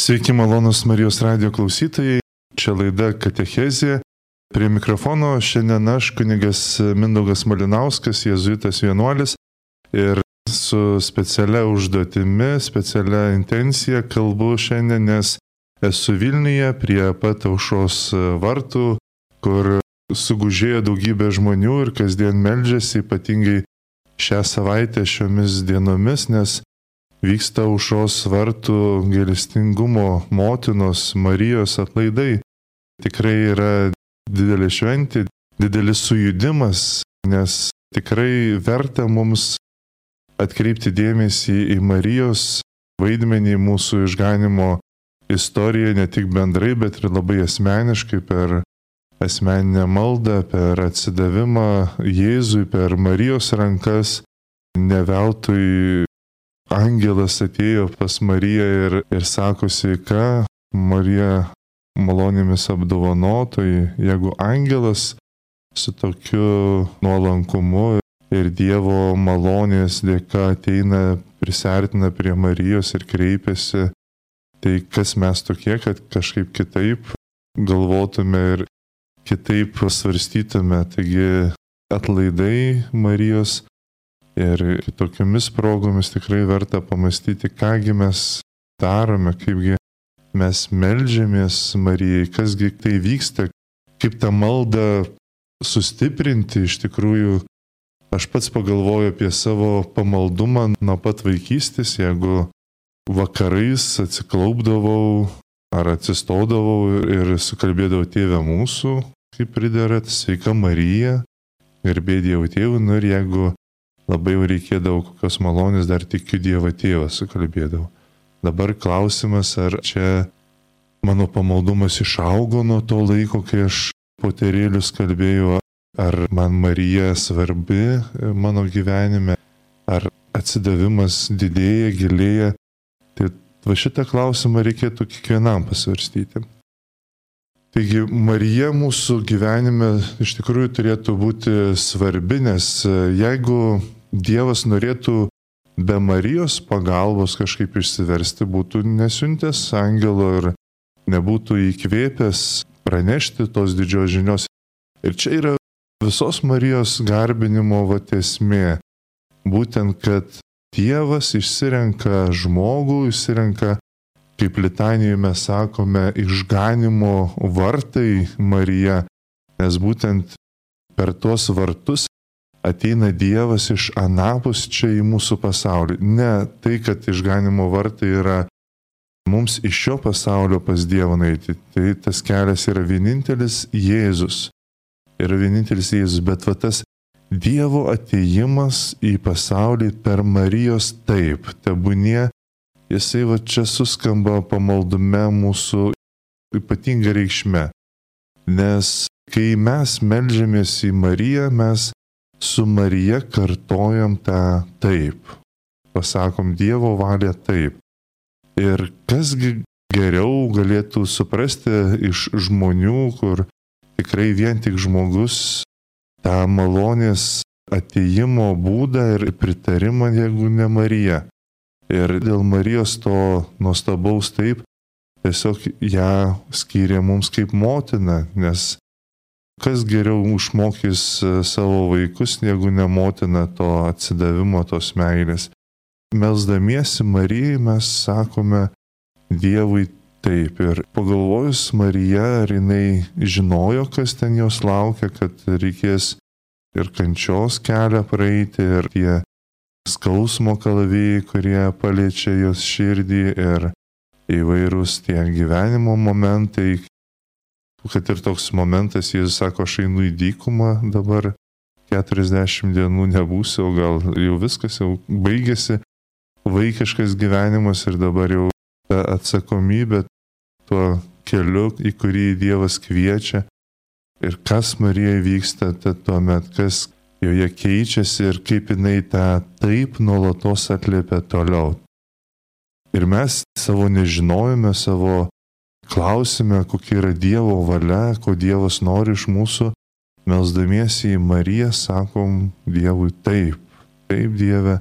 Sveiki, malonus Marijos radijo klausytojai. Čia laida Katechezė. Prie mikrofono šiandien aš, kunigas Mindaugas Malinauskas, jėzuitas vienuolis. Ir su specialia užduotimi, specialia intencija kalbu šiandien, nes esu Vilniuje prie pat Aušros vartų, kur sugužėjo daugybė žmonių ir kasdien meldžiasi, ypatingai šią savaitę šiomis dienomis, nes vyksta Aušros vartų gailestingumo motinos Marijos atlaidai. Tikrai yra didelė šventė, didelis sujudimas, nes tikrai verta mums atkreipti dėmesį į Marijos vaidmenį mūsų išganimo istorijoje, ne tik bendrai, bet ir labai asmeniškai per asmeninę maldą, per atsidavimą Jėzui, per Marijos rankas. Ne veltui angelas atėjo pas Mariją ir sako: sveika, Marija, malonėmis apdovanotoji. Jeigu angelas su tokiu nuolankumu ir Dievo malonės dėka ateina, prisartina prie Marijos ir kreipiasi, tai kas mes tokie, kad kažkaip kitaip galvotume ir kitaip svarstytume. Taigi atlaidai Marijos ir kitokiomis progomis tikrai verta pamastyti, kągi mes darome, kaipgi mes meldžiamės Marijai, kasgi tai vyksta, kaip tą maldą sustiprinti. Iš tikrųjų, aš pats pagalvoju apie savo pamaldumą nuo pat vaikystės. Jeigu vakarais atsiklaupdavau ar atsistodavau ir sukalbėdavau Tėve mūsų, kaip pridera, sveika Marija, garbė Dievo Tėvui, ir jeigu labai jau reikėdavo kokios malonės, dar tikiu Dievą Tėvą sukalbėdavau. Dabar klausimas, ar čia mano pamaldumas išaugo nuo to laiko, kai aš poterėlius kalbėjau, ar man Marija svarbi mano gyvenime, ar atsidavimas didėja, gilėja. Tai va šitą klausimą reikėtų kiekvienam pasvarstyti. Taigi Marija mūsų gyvenime iš tikrųjų turėtų būti svarbi, nes jeigu Dievas norėtų be Marijos pagalbos kažkaip išsiversti, būtų nesiuntęs angelo ir nebūtų įkvėpęs pranešti tos didžios žinios. Ir čia yra visos Marijos garbinimo esmė. Būtent, kad Dievas išsirenka žmogų, išsirenka, kaip litanijoje mes sakome, išganimo vartai Marija, nes būtent per tuos vartus ateina Dievas iš anapus čia į mūsų pasaulį. Ne tai, kad išganimo vartai yra mums iš šio pasaulio pas Dievą nueiti. Tai tas kelias yra vienintelis Jėzus. Yra vienintelis Jėzus, bet va tas Dievo atėjimas į pasaulį per Marijos taip, tebūnie, jisai va čia suskamba pamaldume mūsų ypatinga reikšme. Nes kai mes meldžiamės į Mariją, mes su Marija kartojam tą taip. Pasakom Dievo valią taip. Ir kasgi geriau galėtų suprasti iš žmonių, kur tikrai vien tik žmogus tą malonės atėjimo būdą ir pritarimą, jeigu ne Marija. Ir dėl Marijos to nuostabaus taip, tiesiog ją skyrė mums kaip motina, nes kas geriau užmokys savo vaikus, negu ne motina to atsidavimo, tos meilės. Melsdamiesi Marijai mes sakome Dievui taip. Ir pagalvojus Marija, ar jinai žinojo, kas ten jos laukia, kad reikės ir kančios kelią praeiti, ir tie skausmo kalavijai, kurie paliečia jos širdį, ir įvairūs tie gyvenimo momentai. Kad ir toks momentas, Jėzus sako, aš einu į dykumą, dabar 40 dienų nebūsiu, o gal jau viskas jau baigėsi, vaikiškas gyvenimas ir dabar jau ta atsakomybė tuo keliu, į kurį Dievas kviečia. Ir kas Marijai vyksta tuomet, kas joje keičiasi ir kaip jinai tą taip nuolatos atliepia toliau. Ir mes savo nežinojime, savo klausime, kokia yra Dievo valia, ko Dievas nori iš mūsų, melsdamiesi į Mariją, sakom Dievui taip. Taip, Dieve,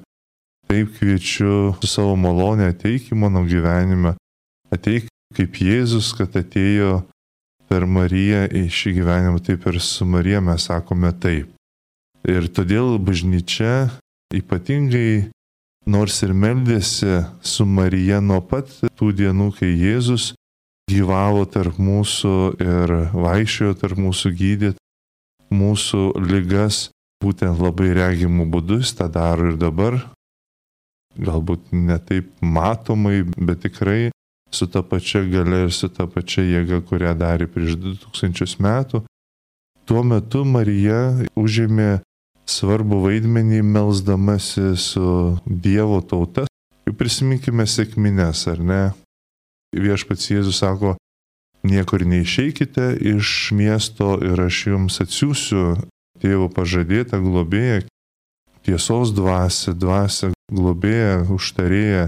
taip kviečiu su savo malonė, ateik į mano gyvenimą, ateik kaip Jėzus, kad atėjo per Mariją į šį gyvenimą, taip ir su Marija mes sakome taip. Ir todėl bažnyčia ypatingai, nors ir meldėsi su Marija nuo pat tų dienų, kai Jėzus gyvavo tarp mūsų ir vaikščiojo tarp mūsų, gydė mūsų ligas, būtent labai regimų būdų, jis tą daro ir dabar. Galbūt ne taip matomai, bet tikrai su ta pačia galia ir su ta pačia jėga, kurią darė prieš 2000 metų. Tuo metu Marija užėmė svarbu vaidmenį melsdamasi su Dievo tauta. Prisiminkime sekmines, ar ne? Viešpats Jėzus sako, niekur neišeikite iš miesto ir aš jums atsiųsiu Tėvo pažadėtą globėją, tiesos dvasią, globėją, užtarėją,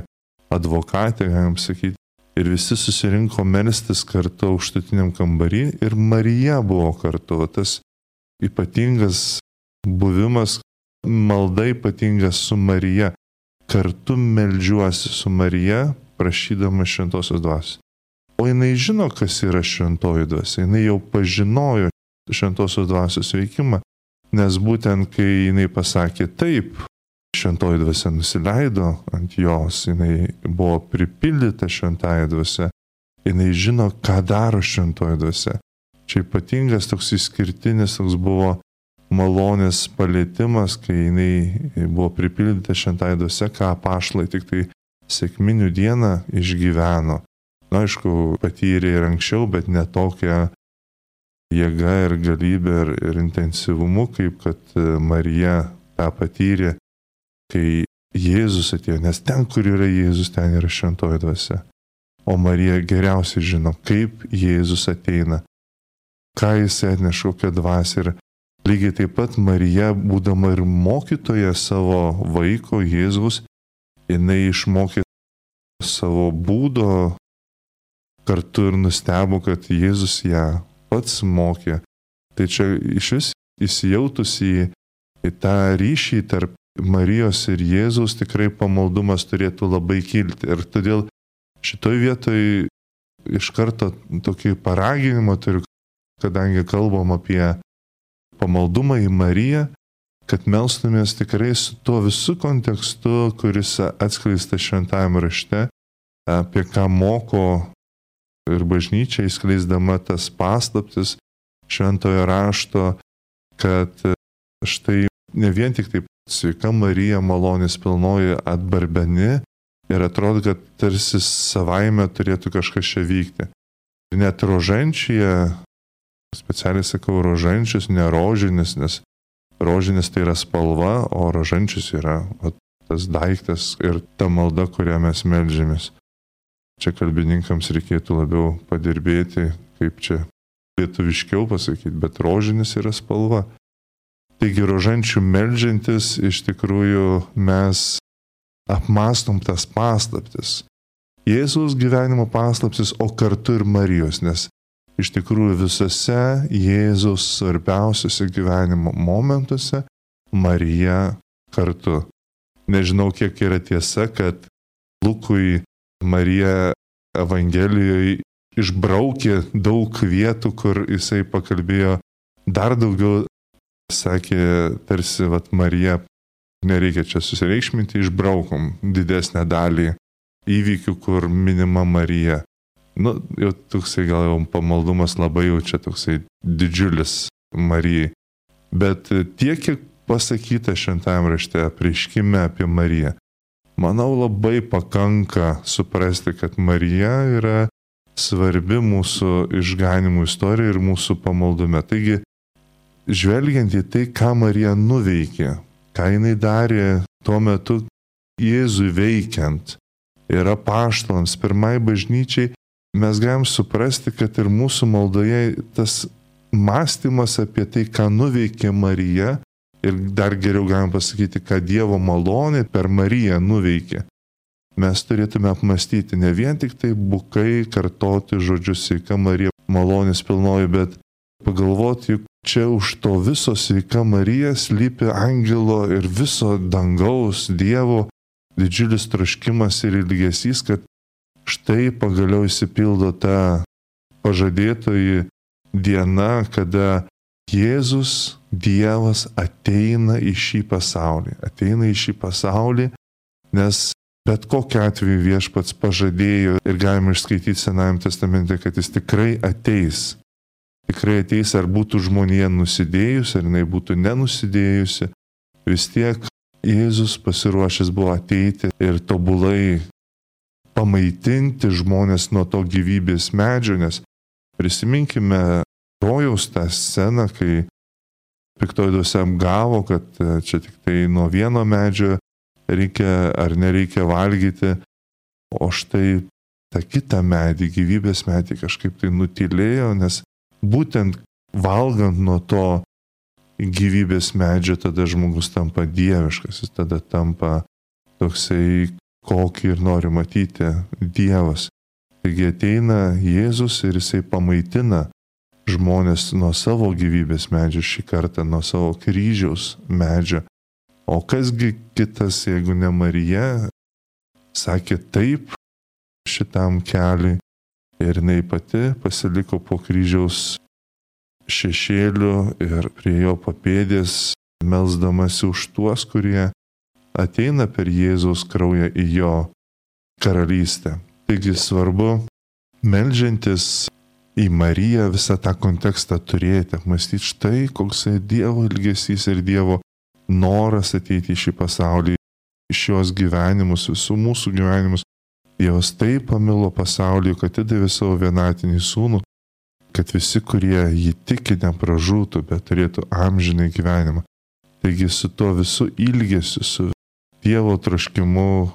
advokatę, galim sakyti. Ir visi susirinko melstis kartu aukštutiniam kambarį ir Marija buvo kartu. Tas ypatingas buvimas, malda ypatinga su Marija. Kartu meldžiuosi su Marija, prašydama šventosios dvasios. O jinai žino, kas yra šventoji dvasia. Jinai jau pažinojo šventosios dvasios veikimą, nes būtent kai jinai pasakė taip, šventoji dvasia nusileido ant jos, jinai buvo pripildyta šventąja dvasia, jinai žino, ką daro šventoji dvasia. Čia ypatingas toks išskirtinis toks buvo malonės palietimas, kai jinai buvo pripildyta šventąja dvasia, ką apaštalai tik tai sekminių dieną išgyveno. Na, aišku, patyrė ir anksčiau, bet ne tokia jėga ir galybė ir intensyvumu, kaip kad Marija tą patyrė, kai Jėzus atėjo, nes ten, kur yra Jėzus, ten yra šventoji dvasia. O Marija geriausiai žino, kaip Jėzus ateina, ką jis atneša, kokią dvasią. Ir lygiai taip pat Marija, būdama ir mokytoja savo vaiko Jėzus, jinai išmokė savo būdo, kartu ir nustebo, kad Jėzus ją pats mokė. Tai čia iš vis įsijautus į tą ryšį tarp Marijos ir Jėzaus tikrai pamaldumas turėtų labai kilti. Ir todėl šitoj vietoj iš karto tokį paraginimą turiu, kadangi kalbam apie pamaldumą į Mariją, kad melstumės tikrai su tuo visų kontekstu, kuris atskleistas šventajame rašte, apie ką moko ir bažnyčia įskleisdama tas paslaptis šventojo rašto, kad štai ne vien tik taip sveika Marija malonės pilnoji atbarbeni ir atrodo, kad tarsi savaime turėtų kažkas čia vykti. Ir net rožančyje, specialiai sakau rožančius, ne rožinis, nes rožinis tai yra spalva, o rožančius yra tas daiktas ir ta malda, kurią mes meldžiamės. Čia kalbininkams reikėtų labiau padirbėti, kaip čia lietuviškiau pasakyti, bet rožinis yra spalva. Taigi rožančių meldžiantis iš tikrųjų mes apmastom tas paslaptis. Jėzaus gyvenimo paslaptis, o kartu ir Marijos, nes iš tikrųjų visose Jėzaus svarbiausiose gyvenimo momentuose Marija kartu. Nežinau, kiek yra tiesa, kad Lukui Marija Evangelijoje išbraukė daug vietų, kur jisai pakalbėjo dar daugiau. Sakė, tarsi, Marija, nereikia čia susireikšminti, išbraukom didesnę dalį įvykių, kur minima Marija. Jau toksai gal jau pamaldumas labai jau čia toksai didžiulis Marijai. Bet tiek, kiek pasakyta šventajame rašte apreiškime apie Mariją, manau labai pakanka suprasti, kad Marija yra svarbi mūsų išganimų istorija ir mūsų pamaldume. Taigi, žvelgiant į tai, ką Marija nuveikė, ką jinai darė tuo metu Jėzui veikiant ir apaštalams, pirmai bažnyčiai, mes galim suprasti, kad ir mūsų maldoje tas mąstymas apie tai, ką nuveikė Marija, ir dar geriau galim pasakyti, ką Dievo malonė per Mariją nuveikė. Mes turėtume apmastyti ne vien tik tai bukai kartoti žodžius sveika Marija malonės pilnoji, bet pagalvoti, juk čia už to viso sveika Marija slypi angelo ir viso dangaus Dievo didžiulis troškimas ir ilgesys, kad štai pagaliau išsipildo ta pažadėtoji diena, kada Jėzus, Dievas ateina į šį pasaulį. Ateina į šį pasaulį, nes bet kokiu atveju Viešpats pažadėjo ir galime išskaityti Senajame testamente, kad jis tikrai ateis. Tikrai ateis, ar būtų žmonija nusidėjusi, ar jinai būtų nenusidėjusi. Vis tiek Jėzus pasiruošęs buvo ateiti ir tobulai pamaitinti žmonės nuo to gyvybės medžio, nes prisiminkime rojaus tą sceną, kai piktoji dvasia apgavo, kad čia tik tai nuo vieno medžio reikia ar nereikia valgyti, o štai tą kitą medį, gyvybės medį kažkaip tai nutylėjo, nes būtent valgant nuo to gyvybės medžio, tada žmogus tampa dieviškas, jis tada tampa toksai, kokį ir nori matyti Dievas. Taigi ateina Jėzus ir jisai pamaitina žmonės nuo savo gyvybės medžio, šį kartą nuo savo kryžiaus medžio. O kasgi kitas, jeigu ne Marija, sakė taip šitam keliui ir jinai pati pasiliko po kryžiaus šešėliu ir prie jo papėdės, melsdamasi už tuos, kurie ateina per Jėzaus kraują į jo karalystę. Taigi svarbu, meldžiantis į Mariją, visą tą kontekstą turėti, apmastyti štai, koks Dievo ilgesys ir Dievo noras ateiti į šį pasaulį, iš jos gyvenimus, visų mūsų gyvenimus. Dievas taip pamilo pasaulį, kad atidavė savo vienatinį sūnų, kad visi, kurie jį tiki, nepražūtų, bet turėtų amžinai gyvenimą. Taigi su tuo visų ilgesiu, su Dievo troškimu,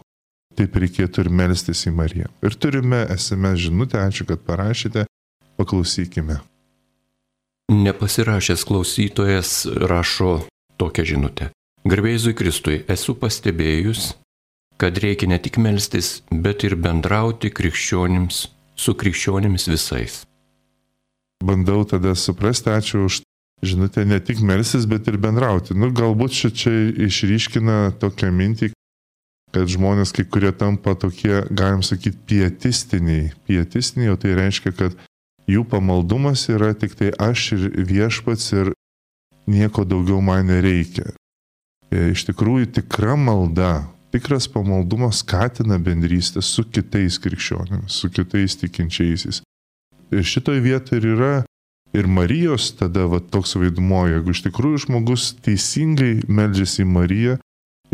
taip reikėtų ir melstis į Mariją. Ir turime SMS žinutę, ačiū, kad parašėte, paklausykime. Nepasirašęs klausytojas rašo tokią žinutę. Garbė Jėzui Kristui, esu pastebėjus, kad reikia ne tik melstis, bet ir bendrauti su krikščionims visais. Bandau tada suprasti, ačiū už žinutę, ne tik melstis, bet ir bendrauti. Galbūt čia išryškina tokią mintį, kad žmonės kai kurie tampa tokie, galim sakyti, pietistiniai, o tai reiškia, kad jų pamaldumas yra tik tai aš ir Viešpats ir nieko daugiau man nereikia. Iš tikrųjų, tikra malda, tikras pamaldumas skatina bendrystę su kitais krikščionimis, su kitais tikinčiaisiais. Ir šitoj vietoje ir yra ir Marijos tada toks vaidmuo, jeigu iš tikrųjų žmogus teisingai meldžiasi į Mariją,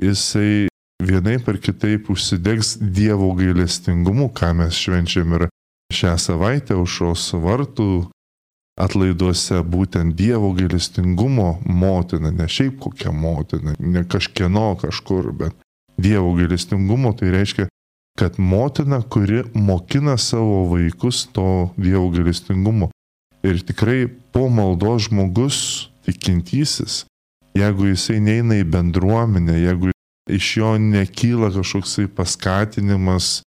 jisai vienaip ar kitaip užsidegs Dievo gailestingumu, ką mes švenčiam ir šią savaitę aušros vartų atlaiduose, būtent Dievo gailestingumo motina, ne šiaip kokia motina, ne kažkieno kažkur, bet Dievo gailestingumo, tai reiškia, kad motina, kuri mokina savo vaikus to Dievo gailestingumo. Ir tikrai po maldos žmogus, tikintysis, jeigu jisai neina į bendruomenę, jeigu iš jo nekyla kažkoksai paskatinimas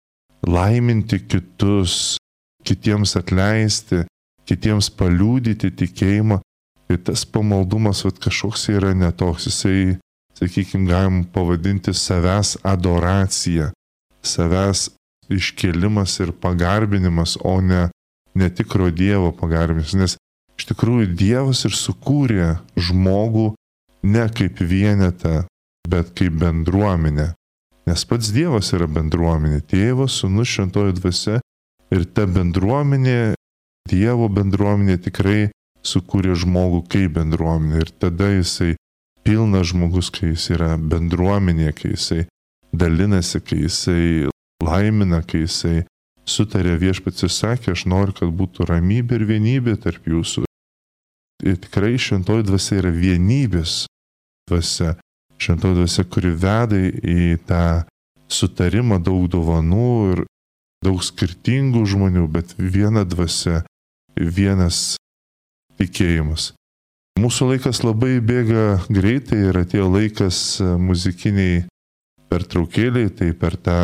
laiminti kitus, kitiems atleisti, kitiems paliudyti tikėjimą, tai tas pamaldumas kažkoks yra netoks, jisai, sakykime, galim pavadinti savęs adoracija, savęs iškėlimas ir pagarbinimas, o ne netikro Dievo pagarbinimas, nes iš tikrųjų Dievas ir sukūrė žmogų ne kaip vienetą, bet kaip bendruomenę, nes pats Dievas yra bendruomenė, Tėvas, Sūnus, Šventoji Dvasia ir ta bendruomenė, Dievo bendruomenė tikrai sukūrė žmogų kaip bendruomenė ir tada jisai pilnas žmogus, kai jis yra bendruomenė, kai jisai dalinasi, kai jisai laimina, kai jisai sutarė, Viešpats ir sakė, aš noriu, kad būtų ramybė ir vienybė tarp jūsų. Ir tikrai Šventoji Dvasia yra vienybės dvasia. Šventoji Dvasia, kuri veda į tą sutarimą, daug dovanų ir daug skirtingų žmonių, bet viena dvasia, vienas tikėjimas. Mūsų laikas labai bėga greitai ir atėjo laikas muzikiniai pertraukėliai, tai per tą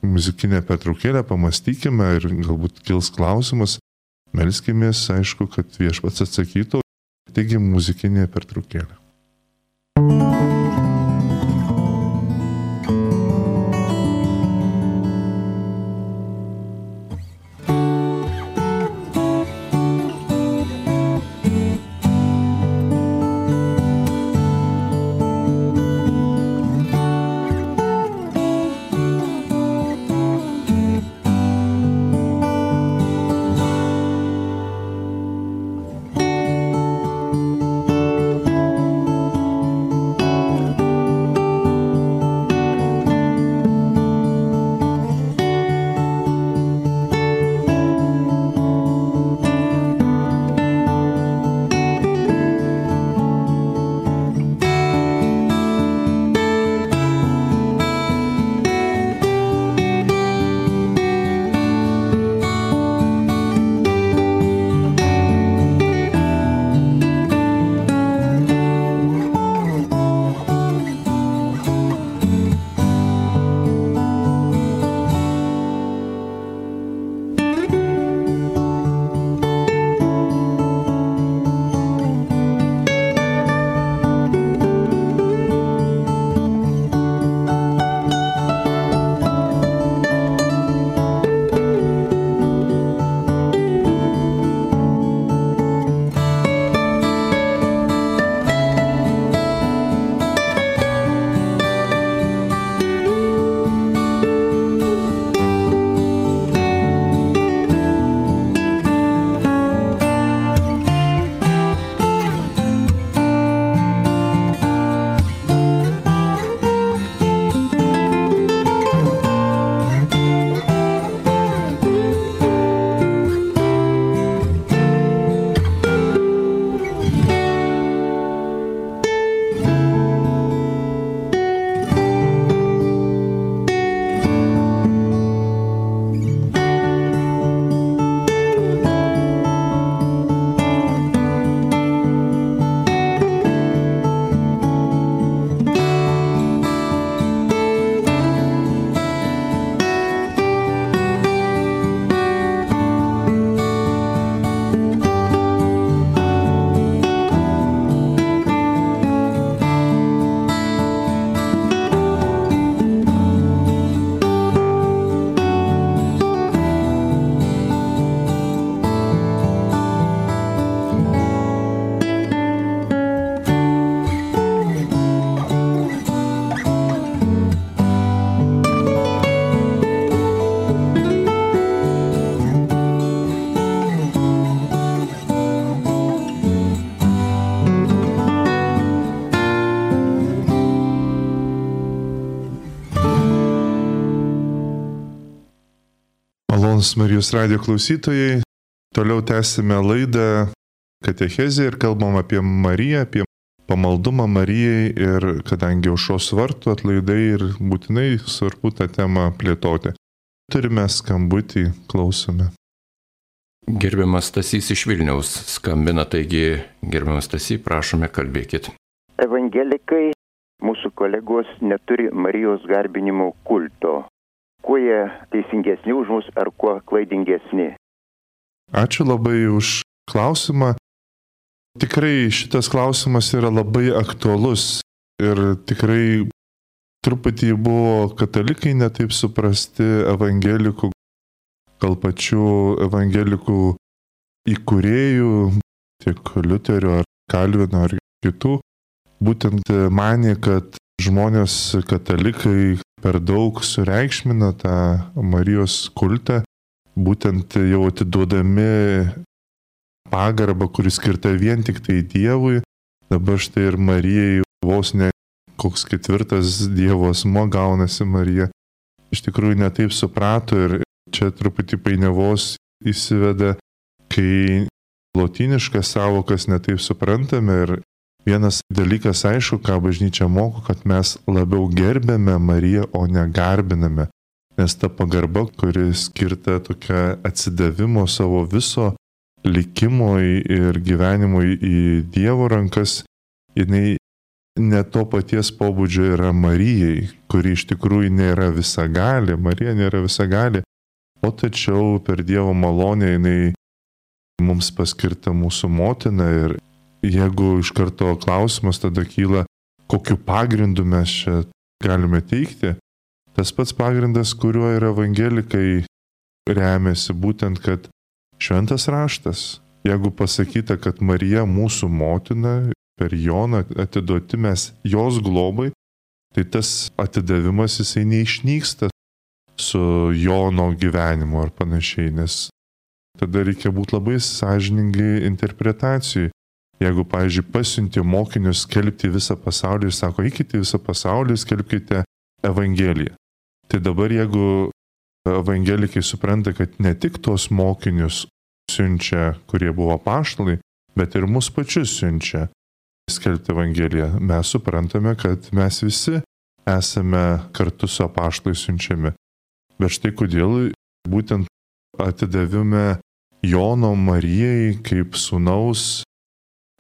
muzikinę pertraukėlę pamastykime ir galbūt kils klausimas, melskimės, aišku, kad Viešpats atsakytų. Taigi muzikinė pertraukėlė. Malonūs Marijos radijo klausytojai, toliau tęsime laidą Katechezė ir kalbam apie Mariją, apie pamaldumą Marijai ir kadangi aušros vartų atlaidai ir būtinai svarbu tą temą plėtoti. Turime skambutį, klausome. Gerbiamas Stasys iš Vilniaus skambina, taigi gerbiamas Stasy, prašome, kalbėkit. Evangelikai, mūsų kolegos, neturi Marijos garbinimo kulto. Kuo jie teisingesni už mus ar kuo klaidingesni? Ačiū labai už klausimą. Tikrai šitas klausimas yra labai aktualus ir tikrai truputį buvo katalikai netaip suprasti evangelikų, gal pačių evangelikų įkūrėjų, tiek Liuterio ar Kalvino ar kitų, būtent manė, kad žmonės katalikai per daug sureikšmina tą Marijos kultą, būtent jau atiduodami pagarbą, kuris skirta vien tik tai Dievui. Dabar štai ir Marijai vos ne koks ketvirtas Dievo asmuo gaunasi Marija. Iš tikrųjų netaip suprato ir čia truputį painiavos įsiveda, kai lotyniškas savokas netaip suprantame ir vienas dalykas aišku, ką bažnyčia moko, kad mes labiau gerbėme Mariją, o ne garbiname. Nes ta pagarba, kuri skirta tokia atsidavimo savo viso likimo ir gyvenimo į Dievo rankas, jinai ne to paties pobūdžio yra Marijai, kuri iš tikrųjų nėra visagalė, Marija nėra visagalė, o tačiau per Dievo malonę jinai mums paskirta mūsų motina ir jeigu iš karto klausimas tada kyla, kokiu pagrindu mes čia galime teikti, tas pats pagrindas, kuriuo ir evangelikai remiasi, būtent, kad šventas raštas, jeigu pasakyta, kad Marija mūsų motina, per Joną atiduoti mes jos globai, tai tas atidavimas jisai neišnyksta su Jono gyvenimu ar panašiai, nes tada reikia būti labai sąžiningai interpretacijai. Jeigu, pavyzdžiui, pasiunti mokinius skelbti visą pasaulį ir sako, eikite visą pasaulį, skelbkite Evangeliją. Tai dabar, jeigu evangelikai supranta, kad ne tik tos mokinius siunčia, kurie buvo apaštalai, bet ir mus pačius siunčia skelbti Evangeliją, mes suprantame, kad mes visi esame kartu su apaštalais siunčiami. Bet štai kodėl būtent atidavime Jono Marijai kaip sūnaus,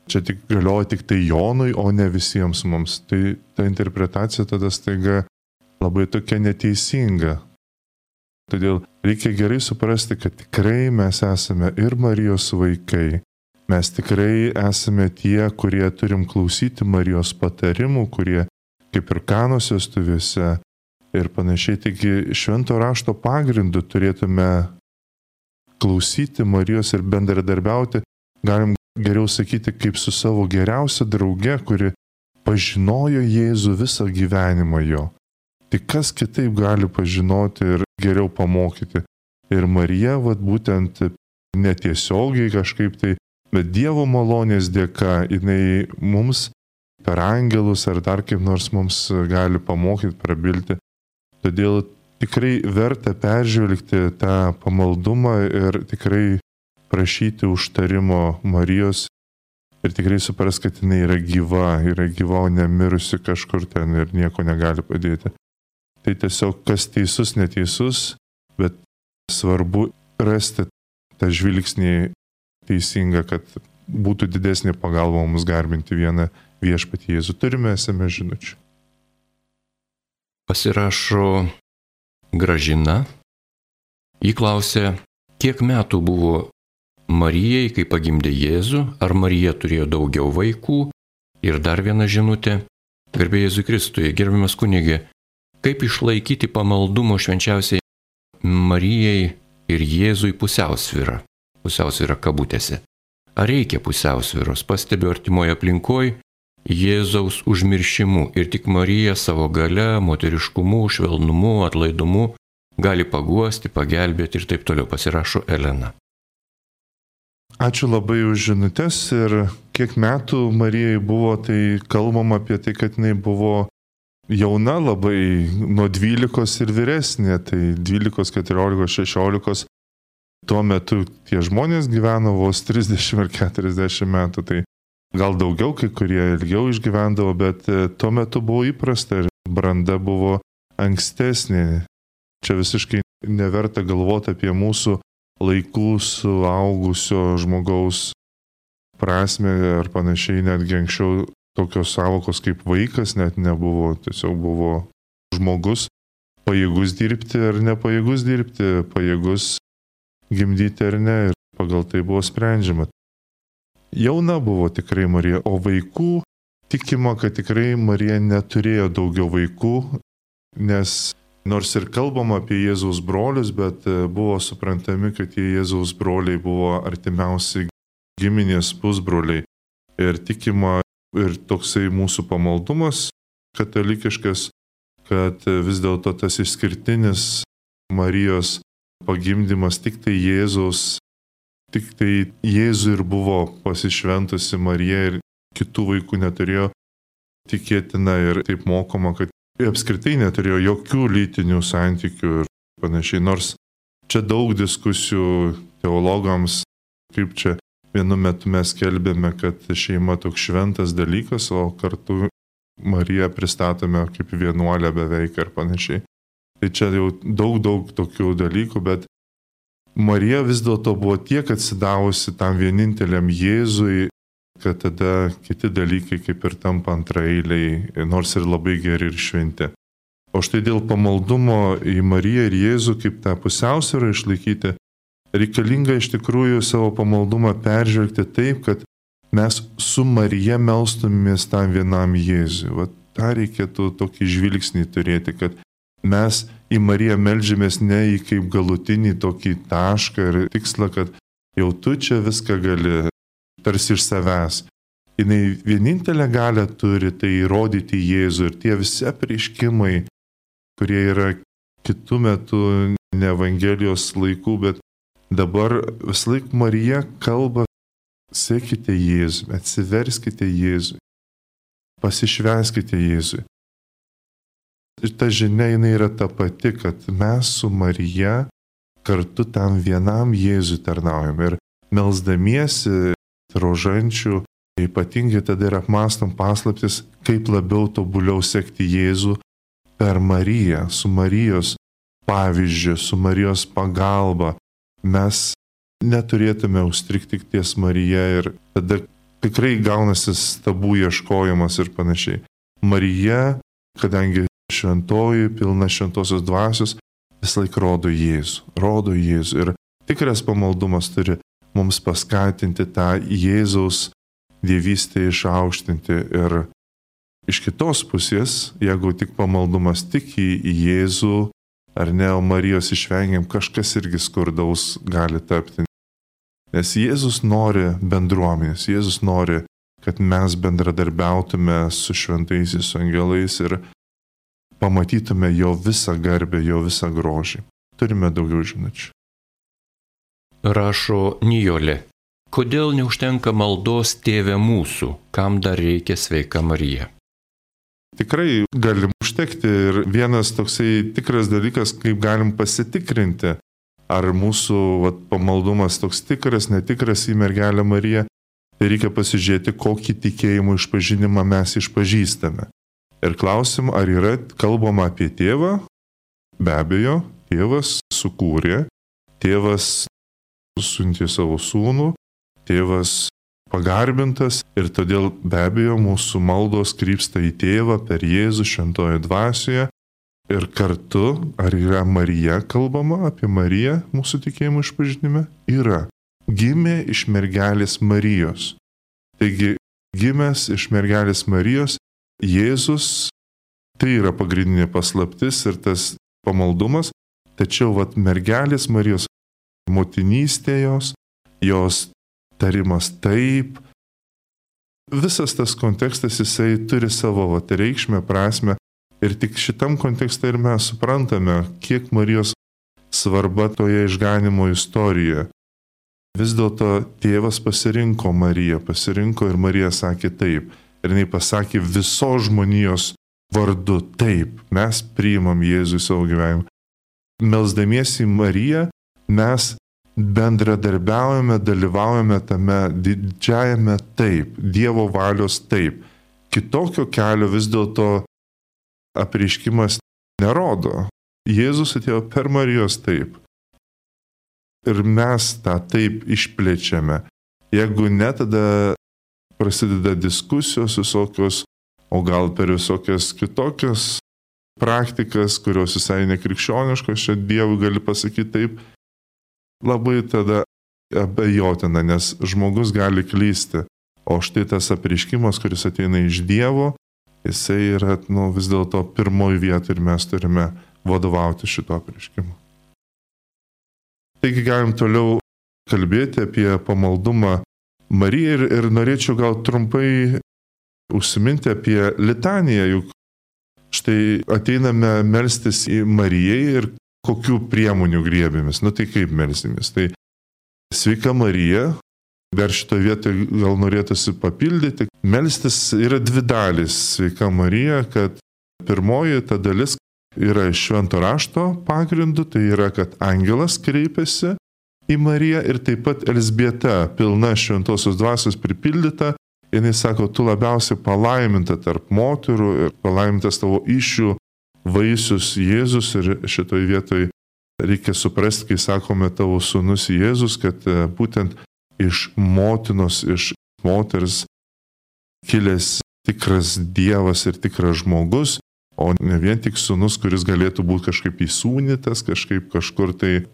čia tik galioja tik tai Jonui, o ne visiems mums. Tai ta interpretacija tada staiga labai tokia neteisinga. Todėl reikia gerai suprasti, kad tikrai mes esame ir Marijos vaikai. Mes tikrai esame tie, kurie turim klausyti Marijos patarimų, kurie kaip ir Kanos vestuvėse ir panašiai. Taigi švento rašto pagrindu turėtume klausyti Marijos ir bendradarbiauti, galim geriau sakyti, kaip su savo geriausia drauge, kuri pažinojo Jėzų visą gyvenimą jo. Tai kas kitaip gali pažinoti ir geriau pamokyti. Ir Marija, būtent netiesiogiai kažkaip tai, bet Dievo malonės dėka, jinai mums per angelus ar dar kaip nors mums gali pamokyti, prabilti. Todėl tikrai verta peržvelgti tą pamaldumą ir tikrai prašyti užtarimo Marijos ir tikrai supras, kad jinai yra gyva, o nemirusi kažkur ten ir nieko negali padėti. Tai tiesiog kas teisus, neteisus, bet svarbu rasti tą žvilgsnį teisingą, kad būtų didesnė pagalba mums garbinti vieną viešpatį Jėzų. Turime SMS žinučių. Pasirašo Gražina. Ji klausė, kiek metų buvo Marijai, kai pagimdė Jėzų, ar Marija turėjo daugiau vaikų? Ir dar viena žinutė. Garbė Jėzui Kristui, gerbiamas kunigė, kaip išlaikyti pamaldumo švenčiausiai Marijai ir Jėzui pusiausvyrą kabutėse. Ar reikia pusiausvyros? Pastebiu artimoje aplinkoje Jėzaus užmiršimu ir tik Marija savo gale, moteriškumu, švelnumu, atlaidumu gali paguosti, pagelbėti ir taip toliau. Pasirašo Elena. Ačiū labai už žinutės ir kiek metų Marijai buvo, tai kalbam apie tai, kad jinai buvo jauna labai, nuo 12 ir vyresnė, tai 12, 14, 16 tuo metu tie žmonės gyveno vos 30 ar 40 metų, tai gal daugiau, kai kurie ilgiau išgyvendavo, bet tuo metu buvo įprasta ir branda buvo ankstesnė. Čia visiškai neverta galvoti apie mūsų laikų suaugusio žmogaus prasme ar panašiai, netgi anksčiau tokios savokos kaip vaikas net nebuvo, tiesiog buvo žmogus pajėgus dirbti ar nepajėgus dirbti, pajėgus gimdyti ar ne, ir pagal tai buvo sprendžiama. Jauna buvo tikrai Marija, o vaikų tikima, kad tikrai Marija neturėjo daugiau vaikų, nes nors ir kalbama apie Jėzaus brolius, bet buvo suprantami, kad tie Jėzaus broliai buvo artimiausi giminės pusbroliai. Ir tikima ir toksai mūsų pamaldumas katalikiškas, kad vis dėlto tas išskirtinis Marijos pagimdymas tik tai Jėzui ir buvo pasišventusi Marija ir kitų vaikų neturėjo, tikėtina ir taip mokoma, kad apskritai neturėjo jokių lytinių santykių ir panašiai. Nors čia daug diskusijų teologams, kaip čia vienu metu mes kelbėme, kad šeima toks šventas dalykas, o kartu Mariją pristatome kaip vienuolę beveik ir panašiai. Tai čia jau daug tokių dalykų, bet Marija vis dėlto buvo tiek atsidavusi tam vieninteliam Jėzui, kad tada kiti dalykai kaip ir tampa antraeiliai, nors ir labai geri ir šventi. O štai dėl pamaldumo į Mariją ir Jėzų kaip tą pusiausvyrą išlaikyti, reikalinga iš tikrųjų savo pamaldumą peržvelgti taip, kad mes su Marija melstumės tam vienam Jėzui. Va, tą reikėtų tokį žvilgsnį turėti, kad mes į Mariją meldžiamės ne į kaip galutinį tokį tašką ir tikslą, kad jau tu čia viską gali, tarsi iš savęs. Jis vienintelę galę turi tai įrodyti Jėzų ir tie visi apreiškimai, kurie yra kitų metų ne Evangelijos laikų, bet dabar visąlaik Marija kalba, sekite Jėzui, atsiverskite Jėzui, pasišvęskite Jėzui. Ir ta žinia jinai yra ta pati, kad mes su Marija kartu tam vienam Jėzui tarnaujam ir melsdamiesi rožančių, ypatingai tada ir apmąstom paslaptis, kaip labiau tobuliau sekti Jėzų per Mariją, su Marijos pavyzdžiu, su Marijos pagalba. Mes neturėtume užstrigti ties Marija ir tada tikrai gaunasi stabų ieškojimas ir panašiai. Marija, kadangi šventoji, pilna šventosios dvasios, visąlaik rodo Jėzų. Ir tikras pamaldumas turi mums paskatinti tą Jėzaus dievystę išaukštinti. Ir iš kitos pusės, jeigu tik pamaldumas tik į Jėzų, ar ne, o Marijos išvengiam, kažkas irgi skurdaus gali tapti. Nes Jėzus nori bendruomenės, Jėzus nori, kad mes bendradarbiautume su šventaisiais, su angelais ir pamatytume jo visą garbę, jo visą grožį. Turime daugiau žinučių. Rašo Nijolė. Kodėl neužtenka maldos Tėve mūsų, kam dar reikia sveika Marija? Tikrai galim užtekti ir vienas toksai tikras dalykas, kaip galim pasitikrinti, ar mūsų pamaldumas toks tikras, netikras į mergelę Mariją, tai reikia pasižiūrėti, kokį tikėjimo išpažinimą mes išpažįstame. Ir klausim, ar yra kalbama apie tėvą? Be abejo, tėvas sukūrė, tėvas siuntė savo sūnų, tėvas pagarbintas ir todėl be abejo mūsų maldos krypsta į tėvą per Jėzų šventoje dvasioje ir kartu, ar yra Marija kalbama apie Mariją mūsų tikėjimo išpažinime? Yra. Gimė iš mergelės Marijos. Taigi, gimęs iš mergelės Marijos, Jėzus, tai yra pagrindinė paslaptis ir tas pamaldumas, tačiau mergelės Marijos motinystė jos tarimas taip, visas tas kontekstas jisai turi savo reikšmę, prasme ir tik šitam kontekste ir mes suprantame, kiek Marijos svarba toje išganimo istorijoje. Vis dėlto tėvas pasirinko Mariją, ir Marija sakė taip. Ir jinai pasakė visos žmonijos vardu taip, mes priimam Jėzų į savo gyvenimą. Melsdamiesi į Mariją, mes bendradarbiaujame, dalyvaujame tame didžiajame taip, Dievo valios taip. Kitokio kelio vis dėlto apreiškimas nerodo. Jėzus atėjo per Marijos taip. Ir mes tą taip išplečiame. Jeigu ne, tada prasideda diskusijos visokios, o gal per visokias kitokias praktikas, kurios visai nekrikščioniškos, čia Dievui gali pasakyti taip, labai tada abejotina, nes žmogus gali klysti. O štai tas apreiškimas, kuris ateina iš Dievo, jisai yra vis dėlto pirmoji vieta ir mes turime vadovauti šito apreiškimu. Taigi galim toliau kalbėti apie pamaldumą Marijai ir norėčiau gal trumpai užsiminti apie litaniją, juk štai ateiname melstis į Marijai ir kokių priemonių griebėmės. Tai kaip melsimės? Tai sveika Marija, dar šitoje vietoje gal norėtųsi papildyti. Melstis yra dvi dalys sveika Marija, kad pirmoji ta dalis yra iš švento rašto pagrindu, tai yra, kad angelas kreipiasi į Mariją ir taip pat Elzbieta, pilna šventosios dvasios pripildyta, jinai sako, tu labiausiai palaiminta tarp moterų ir palaimintas tavo įsčių vaisius Jėzus ir šitoje vietoje reikia suprasti, kai sakome tavo sūnus Jėzus, kad būtent iš motinos, iš moters kilęs tikras Dievas ir tikras žmogus, o ne vien tik sūnus, kuris galėtų būti kažkaip įsūnytas, kažkur tai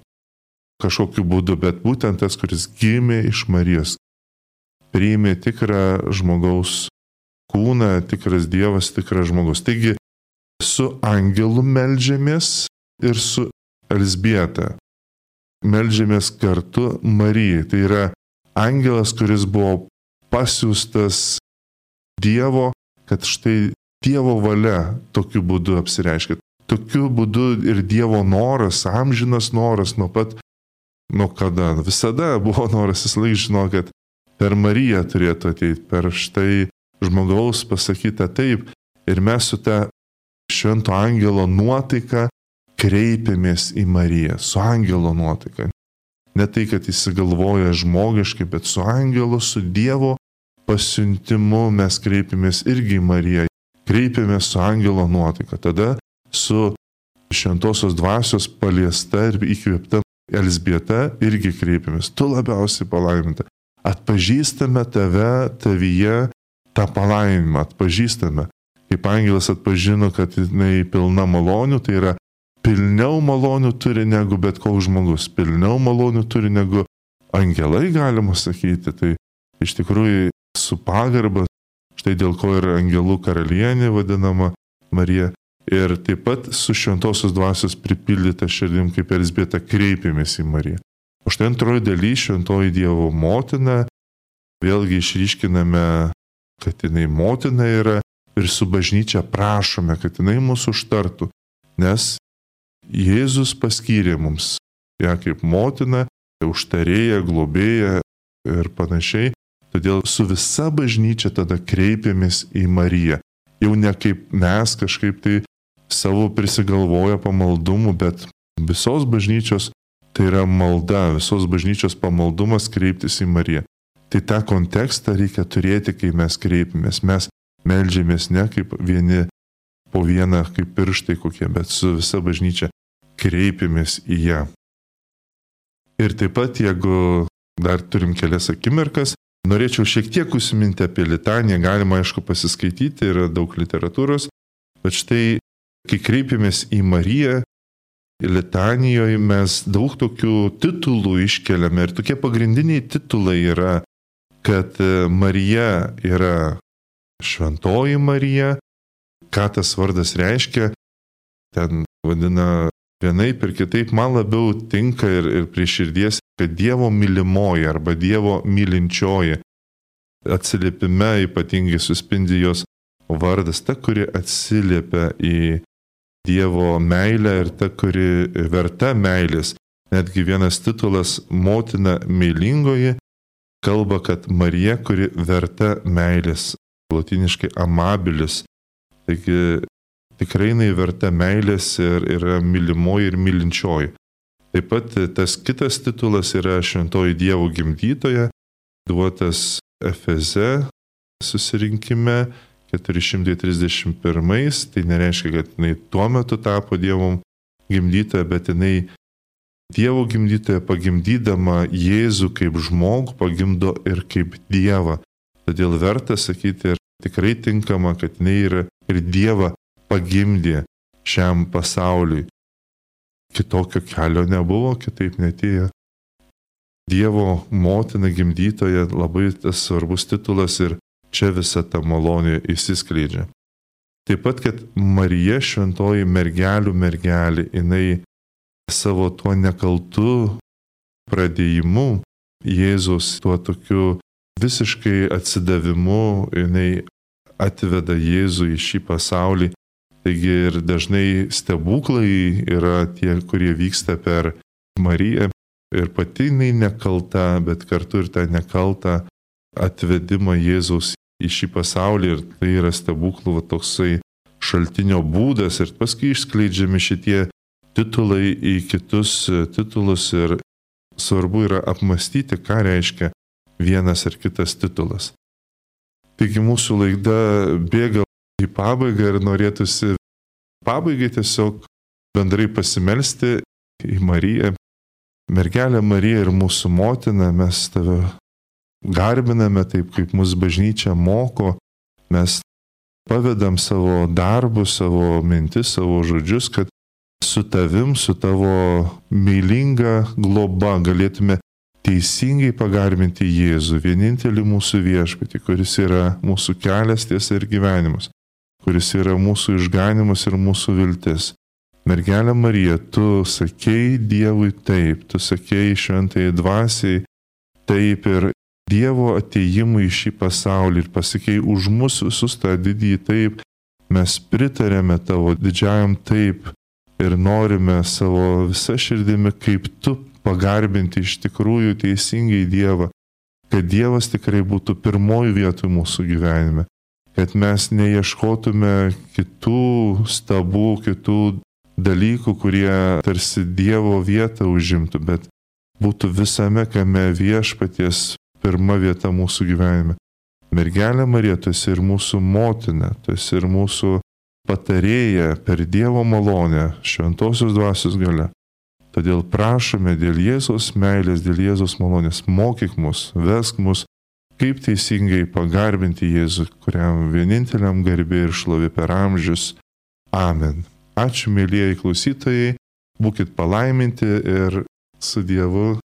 kažkokiu būdu, bet būtent tas, kuris gimė iš Marijos, priėmė tikrą žmogaus kūną, tikras Dievas, tikras žmogus. Taigi su angelu meldžiamės ir su Elzbieta meldžiamės kartu Marijai. Tai yra angelas, kuris buvo pasiųstas Dievo, kad štai Dievo valia tokiu būdu apsireiškia. Tokiu būdu ir Dievo noras, amžinas noras nuo kada. Visada buvo noras, jis laik žino, kad per Mariją turėtų ateiti, per štai žmogaus pasakytą taip. Ir mes su ta švento angelo nuotaika kreipiamės į Mariją, su angelo nuotaika. Ne tai, kad įsigalvoja žmogiškai, bet su angelo, su Dievo pasiuntimu mes kreipiamės irgi į Mariją. Kreipiamės su angelo nuotaika. Tada su šventosios dvasios paliesta ir įkvėpta Elzbieta irgi kreipiamės. Tu labiausiai palaiminta. Atpažįstame tavyje tą palaiminimą. Atpažįstame. Kaip angelas atpažino, kad jinai pilna malonių, tai yra pilniau malonių turi negu bet koks žmogus. Pilniau malonių turi negu angelai, galima sakyti. Tai iš tikrųjų su pagarba, štai dėl ko ir angelų karalienė vadinama Marija. Ir taip pat su šventosios dvasios pripildyta širdim, kaip Elzbieta, kreipėmės į Mariją. O štai antroji daly, šventoji Dievo motina, vėlgi išryškiname, kad jinai motina yra ir su bažnyčia prašome, kad jinai mūsų užtartų, nes Jėzus paskyrė mums ją kaip motina, užtarėja, globėja ir panašiai. Todėl su visa bažnyčia tada kreipiamės į Mariją. Jau ne kaip mes kažkaip tai savo prisigalvoja pamaldumų, bet visos bažnyčios tai yra malda, visos bažnyčios pamaldumas kreiptis į Mariją. Tai tą kontekstą reikia turėti, kai mes kreipiamės. Mes meldžiamės ne kaip vieni po vieną, kaip pirštai kokie, bet su visa bažnyčia kreipiamės į ją. Ir taip pat, jeigu dar turim kelias akimirkas, norėčiau šiek tiek užsiminti apie litaniją, galima aišku pasiskaityti, yra daug literatūros, bet štai, kai kreipiamės į Mariją, litanijoje mes daug tokių titulų iškeliame ir tokie pagrindiniai titulai yra, kad Marija yra šventoji Marija, ką tas vardas reiškia, ten vadina vienaip ir kitaip, man labiau tinka ir prie širdies, kad Dievo mylimoji arba Dievo mylinčioji. Atsiliepime ypatingai suspindi jos vardas, ta, kuri atsiliepia į Dievo meilę ir ta, kuri verta meilės. Netgi vienas titulas motina meilingoji kalba, kad Marija, kuri verta meilės, lotyniškai amabilis. Taigi tikrai jinai verta meilės ir yra mylimoji ir mylinčioji. Taip pat tas kitas titulas yra šventoji Dievo gimdytoja, duotas Efeze susirinkime 431, tai nereiškia, kad jinai tuo metu tapo Dievo gimdytoja, bet jinai Dievo gimdytoja pagimdydama Jėzų kaip žmogų pagimdo ir kaip Dievą. Todėl verta sakyti ir tikrai tinkama, kad jinai yra ir Dievą pagimdė šiam pasauliui. Kitokio kelio nebuvo, kitaip netėjo. Dievo motina gimdytoja labai tas svarbus titulas ir čia visa ta malonė įsiskleidžia. Taip pat, kad Marija šventoji mergelių mergelė, jinai savo tuo nekaltu pradėjimu, Jėzus tuo tokiu visiškai atsidavimu, jinai atveda Jėzų į šį pasaulį. Taigi ir dažnai stebuklai yra tie, kurie vyksta per Mariją. Ir pati jinai nekalta, bet kartu ir tą nekaltą atvedimą Jėzaus į šį pasaulį. Ir tai yra stebuklų toksai šaltinio būdas. Ir paskui išskleidžiami šitie titulai į kitus titulus. Ir svarbu yra apmastyti, ką reiškia vienas ar kitas titulas. Taigi mūsų laida bėga į pabaigą ir norėtųsi pabaigai tiesiog bendrai pasimelsti į Mariją. Mergelė Marija ir mūsų motina, mes tave garbiname taip, kaip mūsų bažnyčia moko, mes pavedam savo darbus, savo mintis, savo žodžius, kad su tavim, su tavo meilinga globa galėtume teisingai pagarbinti Jėzų, vienintelį mūsų viešpatį, kuris yra mūsų kelias, tiesa ir gyvenimas, kuris yra mūsų išganimas ir mūsų viltis. Mergelė Marija, tu sakei Dievui taip, tu sakei šventai dvasiai taip ir Dievo atėjimui į šį pasaulį ir pasakei už mus visus tą didįjį taip, mes pritarėme tavo didžiajam taip ir norime savo visą širdimi kaip tu pagarbinti iš tikrųjų teisingai Dievą, kad Dievas tikrai būtų pirmoji vietoj mūsų gyvenime, kad mes neieškotume kitų stabų, kitų dalykų, kurie tarsi Dievo vietą užimtų, bet būtų visame kame viešpaties pirma vieta mūsų gyvenime. Mergelė Marija, tu esi ir mūsų motina, tu esi ir mūsų patarėja per Dievo malonę, šventosios dvasios galia. Todėl prašome dėl Jėzaus meilės, dėl Jėzaus malonės, mokyk mus, vesk mus, kaip teisingai pagarbinti Jėzų, kuriam vieninteliam garbė ir šlovė per amžius. Amen. Ačiū, mėlyjeji klausytojai, būkit palaiminti ir su Dievu